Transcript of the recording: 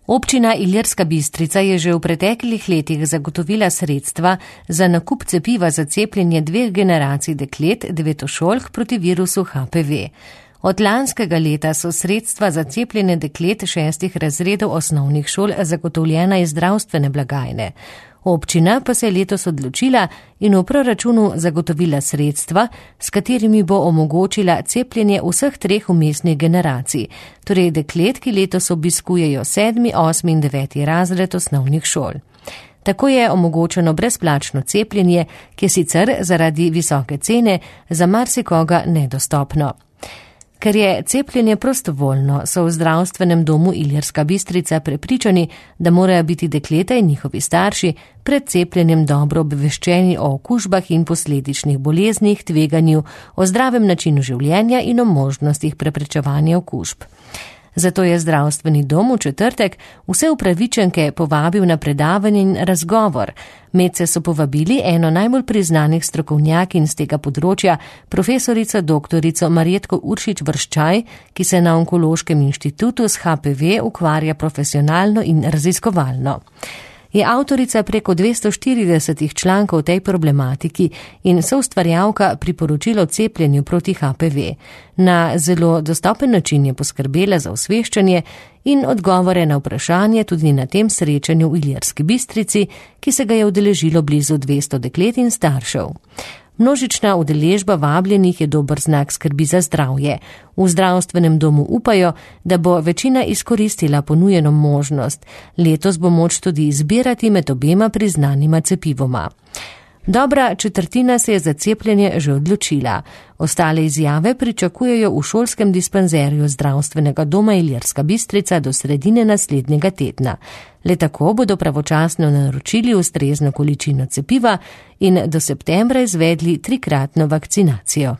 Občina Ilirska Bistrica je že v preteklih letih zagotovila sredstva za nakup cepiva za cepljenje 2 generacij deklet, devetošolk proti virusu HPV. Od lanskega leta so sredstva za cepljenje deklet 6 razredov osnovnih šol zagotovljena iz zdravstvene blagajne. Občina pa se je letos odločila in v proračunu zagotovila sredstva, s katerimi bo omogočila cepljenje vseh 3 vmesnih generacij, torej deklet, ki letos obiskujejo 7., 8. in 9. razred osnovnih šol. Tako je omogočeno brezplačno cepljenje, ki je sicer zaradi visoke cene za marsikoga nedostopno. Ker je cepljenje prostovoljno, so v zdravstvenem domu Ilirska Bistrica prepričani, da morajo biti dekleta in njihovi starši pred cepljenjem dobro obveščeni o okužbah in posledičnih boleznih, tveganju, o zdravem načinu življenja in o možnostih preprečevanja okužb. Zato je zdravstveni dom v četrtek vse upravičenke povabil na predavanje in razgovor. Medse so povabili eno najbolj priznanih strokovnjakinj z tega področja, profesorico doktorico Marjetko Uršič-Vrščaj, ki se na Onkološkem inštitutu s HPV ukvarja profesionalno in raziskovalno. Je avtorica preko 240 člankov tej problematiki in soustvarjalka priporočil o cepljenju proti HPV. Na zelo dostopen način je poskrbela za osveščanje in odgovore na vprašanje tudi na tem srečanju v Ilirski Bistrici, ki se ga je udeležilo blizu 200 deklet in staršev. Množična udeležba vabljenih je dober znak skrbi za zdravje. V zdravstvenem domu upajo, da bo večina izkoristila ponujeno možnost. Letos bo moč tudi izbirati med obema priznanima cepivoma. Dobra četrtina se je za cepljenje že odločila. Ostale izjave pričakujejo v šolskem dispanzerju zdravstvenega doma Ilirska Bistrica do sredine naslednjega tedna. Le tako bodo pravočasno naročili ustrezno količino cepiva in do septembra izvedli 3-kratno vakcinacijo.